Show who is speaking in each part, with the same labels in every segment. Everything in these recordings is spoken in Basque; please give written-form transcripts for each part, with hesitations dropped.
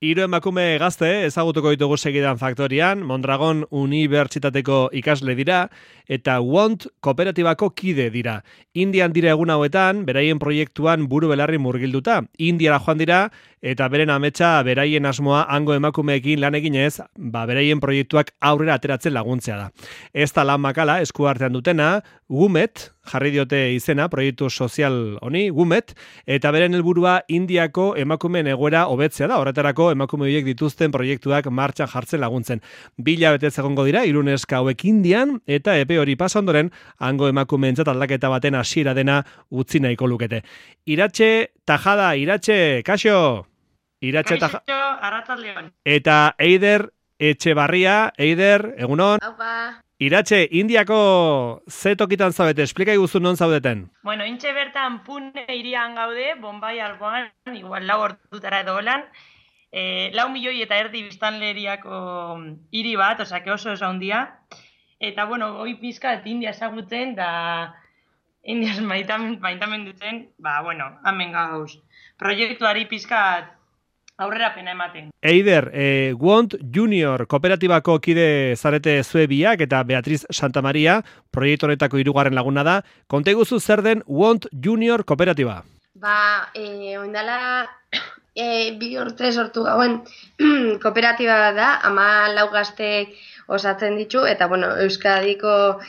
Speaker 1: Hiru emakume gazte ezagutuko ditugu segidan Faktorian, Mondragon Unibertsitateko ikasle dira eta WONT kooperatibako kide dira. Indian dira egun hauetan, beraien proiektuan buru belarri murgilduta. Indiara joan dira eta beren ametsa beraien asmoa hango emakumeekin lan eginez, beraien proiektuak aurrera ateratzen laguntzea da. Ez da lan makala esku artean dutena, WUMET, jarri diote izena, proiektu sozial honi, WUMET, eta beren helburua Indiako emakumeen egoera hobetzea da. Horretarako emakume horiek dituzten proiektuak martxan jartzen laguntzen. 2 hilabetez egongo dira, 3 neska hauek Indian, eta epe hori pasa ondoren, hango emakumeentzat aldaketa baten hasiera dena utzi nahiko lukete. Iratxe Tajada, Iratxe, kaixo! Iratxe
Speaker 2: Tajada.
Speaker 1: Eta Eider Etxebarria, Eider, egunon?
Speaker 2: Aupa.
Speaker 1: Iratxe, Indiako ze tokitan zaudete, esplika iguzu non zaudeten?
Speaker 2: Bueno, intxe bertan Pune irian gaude, Bombay alboan, igual 4 ordutara edo holan. 4 milioi eta erdi biztanleriako hiri bat, osea, oso handia. Eta, bueno, goi pizkat India ezagutzen, da Indiaz maitamen duten, hemen gauz. Proiektuari pizkat aurrerapena ematen.
Speaker 1: Eider, WONT Junior kooperatibako kide zarete zue biak eta Beatriz Santamaria, proiektu honetako 3. laguna da. Konta iguzu zer den WONT Junior kooperatiba?
Speaker 3: Oindala 2 urte sortu gauen kooperatiba da, 14 gaztek osatzen ditu, eta Euskadiko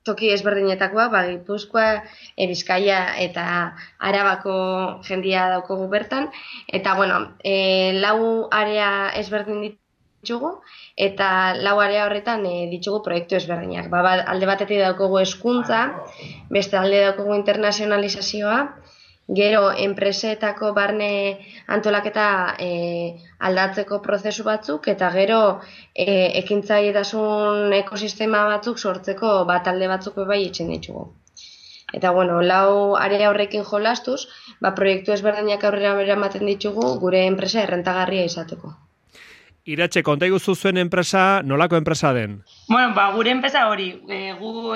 Speaker 3: toki ezberdinetakoa, Gipuzkoa, Bizkaia eta Arabako jendia daukogu bertan, eta 4 area ezberdin ditugu, eta 4 area horretan ditugu proiektu ezberdinak. Alde batetik daukogu hezkuntza, beste alde daukogu internazionalizazioa, gero enpresetako barne antolaketa aldatzeko prozesu batzuk, eta gero ekintzailetasun ekosistema batzuk sortzeko talde batzuk bai itzen ditugu. Eta 4 area horrekin jolastuz, proiektu ezberdinak aurrera eramaten ditugu gure enpresa errentagarria izateko.
Speaker 1: Iratxe, konta iguzu zuen enpresa, nolako enpresa den?
Speaker 2: Gure enpresa hori, gu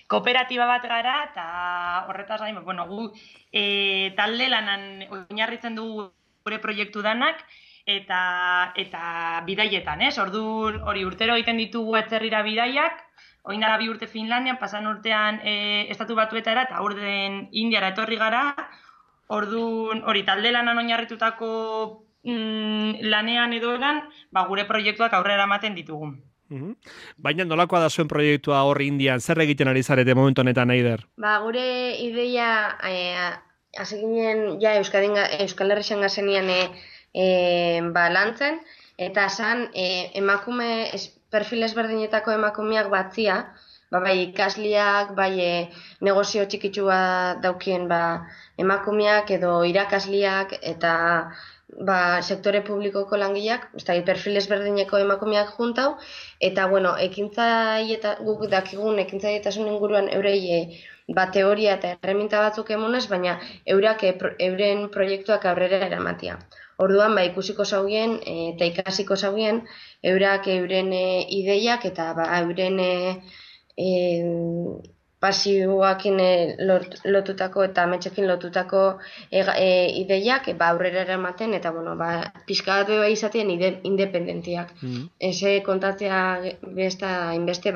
Speaker 2: kooperatiba bat gara, eta horretaz gain, gu talde lanan oinarritzen dugu gure proiektu danak, eta bidaietan, ez? Orduan, hori urtero egiten ditugu atzerrira bidaiak, orain dela 2 urte Finlandian, pasan urtean Estatu Batuetara, eta urten Indiara etorri gara, orduan, hori talde lanan oinarritutako lanean edo egan, gure proiektuak aurrera ematen ditugu.
Speaker 1: Baina nolakoa da zuen proiektua hor Indian, zer egiten ari zarete momentu honetan, Eider?
Speaker 3: Gure ideia, hasi ginen, Euskal Herrian gazenian lantzen, eta zan emakume, perfil ezberdinetako emakumeak batzia, bai ikasliak, bai negozio txikitsua daukien emakumeak edo irakasliak, eta sektore publikoko langileak, perfil ezberdineko emakumeak juntau, eta guk dakigun ekintzaietasun inguruan eurei teoria eta erreminta batzuk emonez, baina euren proiektuak aurrera eramatia. Orduan, ikusiko zaugien eta ikasiko zaugien, euren ideiak eta euren pasioakin lotutako eta ametsekin lotutako ideiak aurrera eramaten, eta pixka bat izaten independentiak. Eze kontatzea besta inbeste,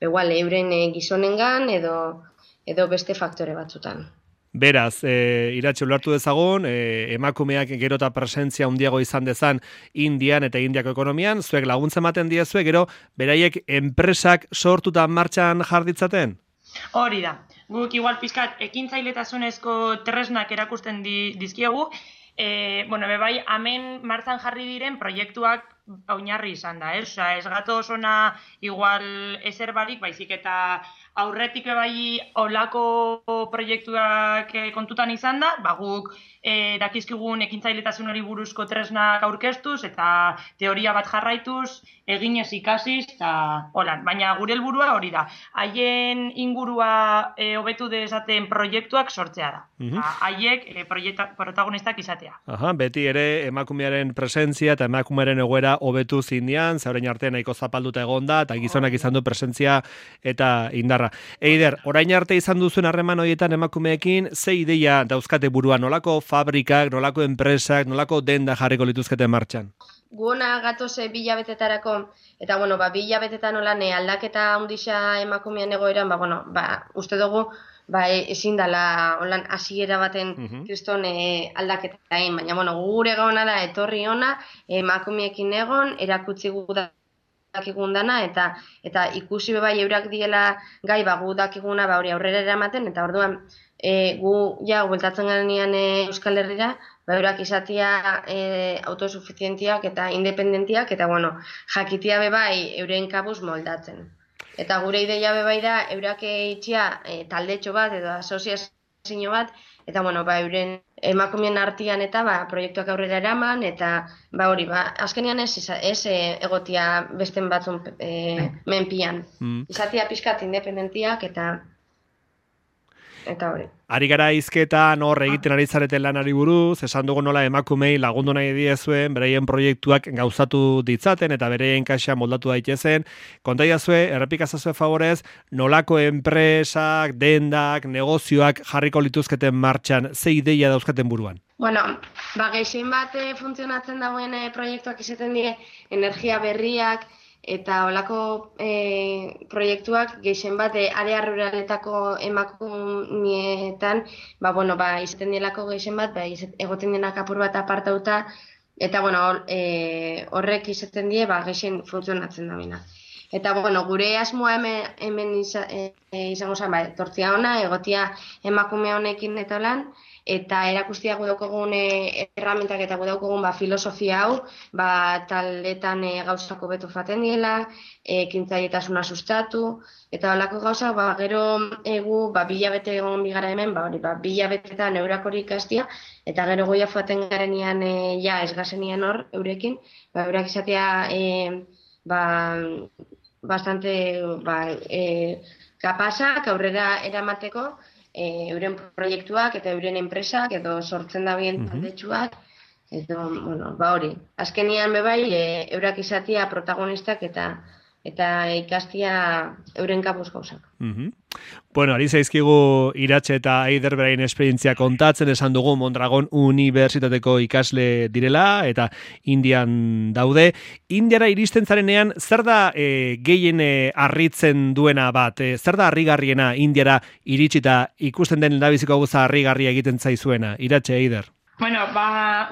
Speaker 3: euren gizonengan edo beste faktore batzutan.
Speaker 1: Beraz, Iratxe ulertu dezagun, emakumeak gero eta presentzia handiago izan dezan Indian eta Indiako ekonomian, zuek laguntza ematen diezue, gero beraiek enpresak sortuta martxan jarditzaten?
Speaker 2: Hori da. Guk igual pizkat ekintzailetasunezko tresnak erakusten dizkiegu, bai, hemen martxan jarri diren proiektuak oinarri izan da, ez? Ez gatoz ona igual ezer barik, baizik eta aurretik bai olako proiektuak kontutan izan da, guk dakizkigun ekintzailetasun hori buruzko tresnak aurkeztuz eta teoria bat jarraituz, eginez ikasiz, eta holan. Baina gure helburua hori da, haien ingurua hobetu dezaten proiektuak sortzea da. Haiek protagonistak izatea.
Speaker 1: Beti ere emakumearen presentzia eta emakumearen egoera hobetu zindian, zaurein artean nahiko zapalduta egonda, eta gizonak izan du presentzia eta indar txarra. Eider, orain arte izan duzuen harreman horietan emakumeekin, ze ideia dauzkate buruan, nolako fabrikak, nolako enpresak, nolako denda jarriko lituzkete martxan?
Speaker 3: Guona gatoze 2 hilabetetarako, eta bueno, 2 hilabetetan nolan aldaketa handisa emakumean egoeran, uste dugu, ezin dela holan hasiera baten kriston aldaketa egin, baina bueno, gure gauna da etorri ona, emakumeekin egon, erakutsi gu dakigun dana, eta ikusi bai eurak diela gai gu dakiguna hori aurrera eramaten, eta orduan gu bueltatzen garenean Euskal Herrira, eurak izatea autosuficientiak eta independentiak, eta bueno, jakitia bai euren kabuz moldatzen. Eta gure ideia bai da, eurak itxia taldetxo bat edo asoziazio bat, eta bueno, euren emakumeen artean eta proiektuak aurrera eraman, eta azkenean ez egotia besten batzun menpian. Izatea pixkat independentiak eta hori.
Speaker 1: Ari gara hizketan hor egiten ari zareten lanari buruz, esan dugu nola emakumei lagundu nahi diezuen, beraien proiektuak gauzatu ditzaten eta beraien kaxa moldatu daitezen. Konta idazue, errepikazazue favorez, nolako enpresak, dendak, negozioak jarriko lituzketen martxan, ze ideia dauzkaten buruan?
Speaker 3: Bueno, gehien bat funtzionatzen dagoen proiektuak izaten dire, energia berriak, eta holako proiektuak gehien bat area ruraletako emakumietan izaten dielako gehien bat egoten denak apur bat apartauta, eta horrek izaten die gehien funtzionatzen da bina. Eta gure asmoa hemen izango zen, tortzia ona, egotia emakume honekin eta lan, eta erakustia gudaukogun erramentak eta gudaukogun filosofia hau, taldetan gauzako betu faten diela, ekintzailetasuna sustatu, eta holako gauza, gero egu, 2 hilabete egon bigara hemen, 2 hilabetetan eurakori ikastia, eta gero goia faten garenean ez gazenian hor, eurekin, eurak izatea bastante kapasak aurrera eramateko, euren proiektuak eta euren enpresak edo sortzen da bien taldetxuak, edo, hori. Azkenian eurak izatea protagonistak eta ikastia euren kapuz gauzak.
Speaker 1: Bueno, ari zaizkigu Iratxe eta Eider beraien esperientzia kontatzen, esan dugu Mondragon Unibertsitateko ikasle direla eta Indian daude. Indiara iristen zarenean, zer da gehien harritzen duena bat? Zer da harrigarriena Indiara iritsita ikusten den lehendabiziko gauza harrigarria egiten zaizuena? Iratxe, Eider.
Speaker 2: Bueno,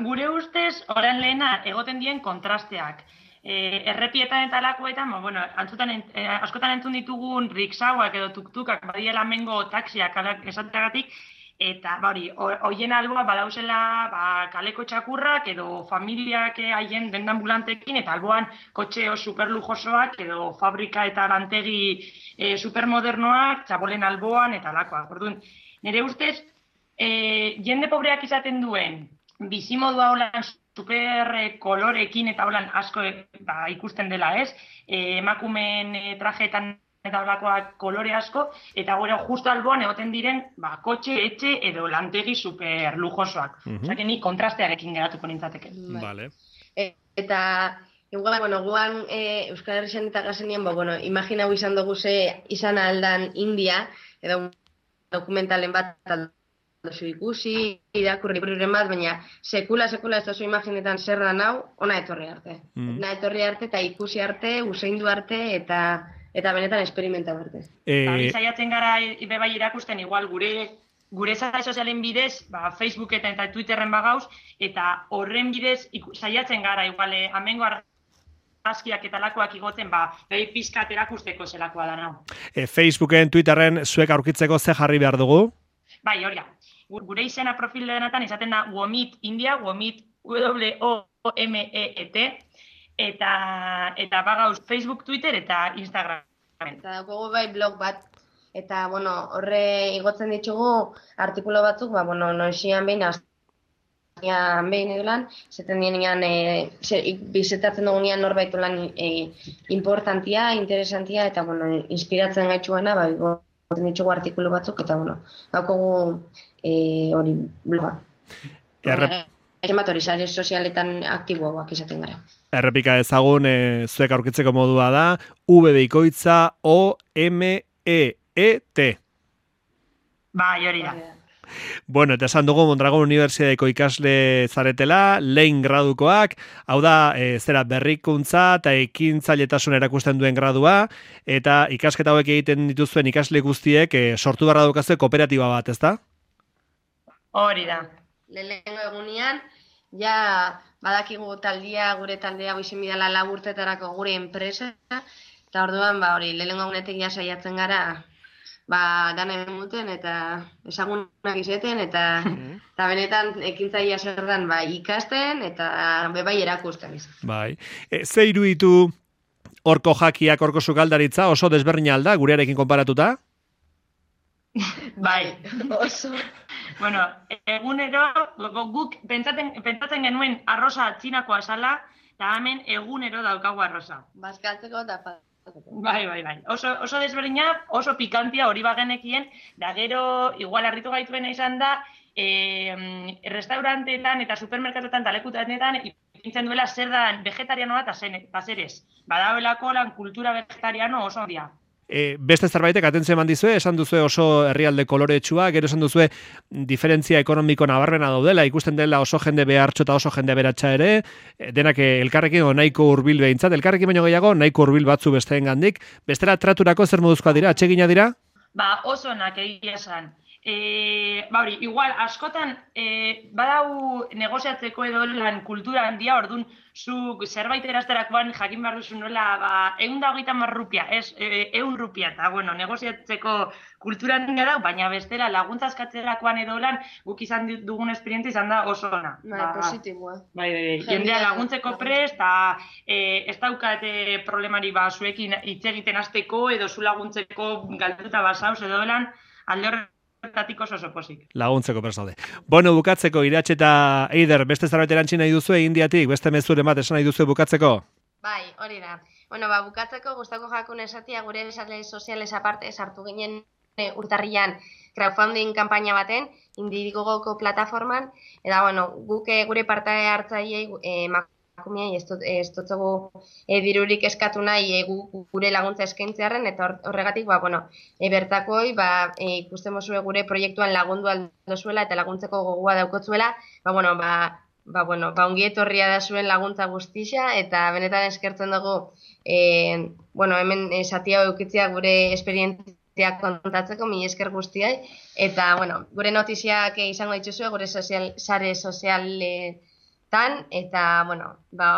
Speaker 2: gure ustez, orain lehena egoten dien kontrasteak. Errepietan eta lakuetan, askotan entzun ditugun riksauak edo tuktukak badiela mengo taksiak esateagatik, eta hoien alboa badauzela kaleko txakurrak edo familiak haien dendambulantekin, eta alboan kotxeo superlujosoak edo fabrika eta lantegi supermodernoak, txabolen alboan eta lakoak. Orduan, nire ustez, jende pobreak izaten duen, bizimodua holan super kolorekin eta holan asko ikusten dela, ez? Emakumeen trajeetan eta holakoak kolore asko, eta gero justo alboan egoten diren kotxe, etxe edo lantegi super lujosoak. Osea, ni kontrastearekin geratuko nintzateke.
Speaker 1: Vale.
Speaker 3: Eta guan Euskal Herrian eta gazenian, imaginau izan dugu ze izan aldan India, edo dokumentalen bat dozu ikusi, irakurri libururen bat, baina sekula ez dozu imaginetan zer da nau, ona etorri arte. Ona etorri arte eta ikusi arte, useindu arte eta benetan esperimentau arte.
Speaker 2: Saiatzen gara bebai irakusten igual gure sare sozialen bidez, Facebooketan eta Twitterren bagauz, eta horren bidez saiatzen gara igual amengo argazkiak eta lakoak igoten, behi pizkat erakusteko zelakoa da nau.
Speaker 1: Facebooken, Twitterren zuek aurkitzeko ze jarri behar dugu?
Speaker 2: Bai, hori da. Gure izena profil denatan izaten da Womit India, Womit WOMEET, eta bagauz Facebook, Twitter eta Instagram.
Speaker 3: Eta dago blog bat, eta horre igotzen ditugu artikulo batzuk, noizian behin, azkian behin edo lan, zeten dienean, bizitatzen dugunean norbait lan importantia, interesantia, eta inspiratzen gaitxuena, igotzen ditugu artikulu batzuk, eta daukogu hori bloga. Hori sare sozialetan aktiboak izaten gara.
Speaker 1: Errepika ezagun, zuek aurkitzeko modua da, www.omeet MEET.
Speaker 2: Bai, hori da.
Speaker 1: Bueno, eta esan dugu Mondragon Unibertsitateko ikasle zaretela, lehen gradukoak, hau da, zera berrikuntza eta ekintzailetasun erakusten duen gradua, eta ikasketa hauek egiten dituzuen ikasle guztiek sortu barra daukazue kooperatiba bat, ezta?
Speaker 2: Hori da.
Speaker 3: Lehenengo egunean, ja badakigu gure taldea goizin bidala 4 urtetarako gure enpresa, eta orduan, hori, lehenengo egunetik ja saiatzen gara, dana emuten eta ezagunak izeten eta benetan ekintzaia zer dan ikasten eta bai erakusten.
Speaker 1: Bai. Ze iruditu horko jakiak, horko sukaldaritza, oso desberdina alda, gurearekin konparatuta?
Speaker 2: Bai.
Speaker 3: Oso.
Speaker 2: Bueno, egunero, guk pentsatzen genuen arroza txinakoa zala, eta hemen egunero daukagu arroza.
Speaker 3: Bazkaltzeko eta
Speaker 2: Bai. Oso desberdina, oso pikantia hori bagenekien, da gero, igual harritu gaituena izan da, restauranteetan eta supermerkatoetan eta lekutanetan ipintzen duela zer da vegetarianoa eta zer ez. Badagoelako lan kultura vegetariano oso handia.
Speaker 1: Beste zerbaitek atentzio eman dizue, esan duzue oso herrialde koloretsua, gero esan duzue diferentzia ekonomiko nabarmena daudela, ikusten dela oso jende behartxo eta oso jende beratxa ere, denak elkarrekin nahiko hurbil behintzat, elkarrekin baino gehiago nahiko hurbil batzu besteengandik, bestela traturako zer moduzkoa dira, atsegina dira?
Speaker 2: Oso onak egia esan. Hori, igual, askotan badau negoziatzeko edo lan kultura handia, orduan, zuk zerbait erazterakoan jakin behar duzu nola, 130 rupia, ez, 100 rupia, eta, bueno, negoziatzeko kultura handia da, baina bestela laguntza eskatzerakoan edo lan, guk izan dugun esperientzia izan da oso ona.
Speaker 3: Positiboa.
Speaker 2: Bai, jendea laguntzeko prest, eta ez daukat problemari zuekin hitz egiten hasteko edo zu laguntzeko galduta basauz edo lan, alde horretatik oso pozik.
Speaker 1: Laguntzeko persaude. Bueno, bukatzeko, Iratxe eta Eider, beste zerbait erantzi nahi duzue Indiatik, beste mezuren bat esan nahi duzue bukatzeko?
Speaker 3: Bai, hori da. Bueno, bukatzeko gustako jakun esatia gure sare soziales aparte sartu ginen urtarrilan crowdfunding kanpaina baten, Indigogoko plataforman, eta bueno, guk gure parte hartzaileei emakumeei ez dutzugu dirurik eskatu nahi gure laguntza eskaintzearren, eta horregatik bertakoi ikusten mozue gure proiektuan lagundu aldozuela eta laguntzeko gogoa daukotzuela, ongi etorria da zuen laguntza guztia, eta benetan eskertzen dugu hemen satia eukitzea gure esperientzia kontatzeko, mila esker guztiai, eta gure notiziak izango dituzue gure sare sozialetan, eta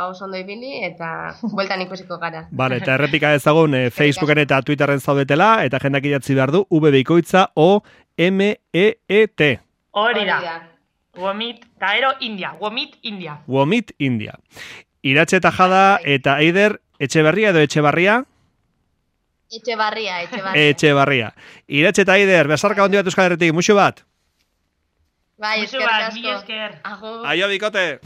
Speaker 3: oso ondo ibili, eta bueltan ikusiko gara.
Speaker 1: Vale, eta errepika ezagun Facebooken eta Twitterren zaudetela, eta jendak idatzi behar du, VBikoitza OMEET.
Speaker 2: Hori da. Womit, eta ero India. Womit India.
Speaker 1: Womit India. Iratxe eta Jada eta Eider, Etxeberria edo Etxebarria?
Speaker 3: Etxebarria.
Speaker 1: Etxebarria. Iratxe eta Eider, besarka ondi bat Euskal Herritik, muxu bat?
Speaker 3: Bai,
Speaker 2: eskerrik asko.
Speaker 3: Agur.
Speaker 1: Aio, bikote!